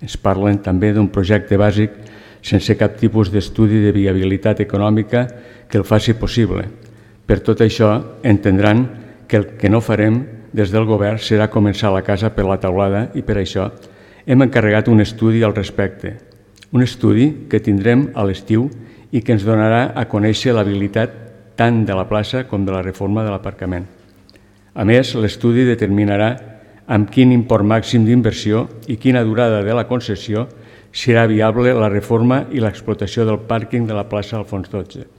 Ens parlen també d'un projecte bàsic sense cap tipus d'estudi de viabilitat econòmica que el faci possible. Per tot això, entendran que el que no farem des del govern serà començar la casa per la teulada i per això hem encarregat un estudi al respecte. Un estudi que tindrem a l'estiu i que ens donarà a conèixer l'habilitat tant de la plaça com de la reforma de l'aparcament. A més, l'estudi determinarà amb quin import màxim d'inversió i quina durada de la concessió serà viable la reforma i l'explotació del pàrquing de la plaça Alfons XII.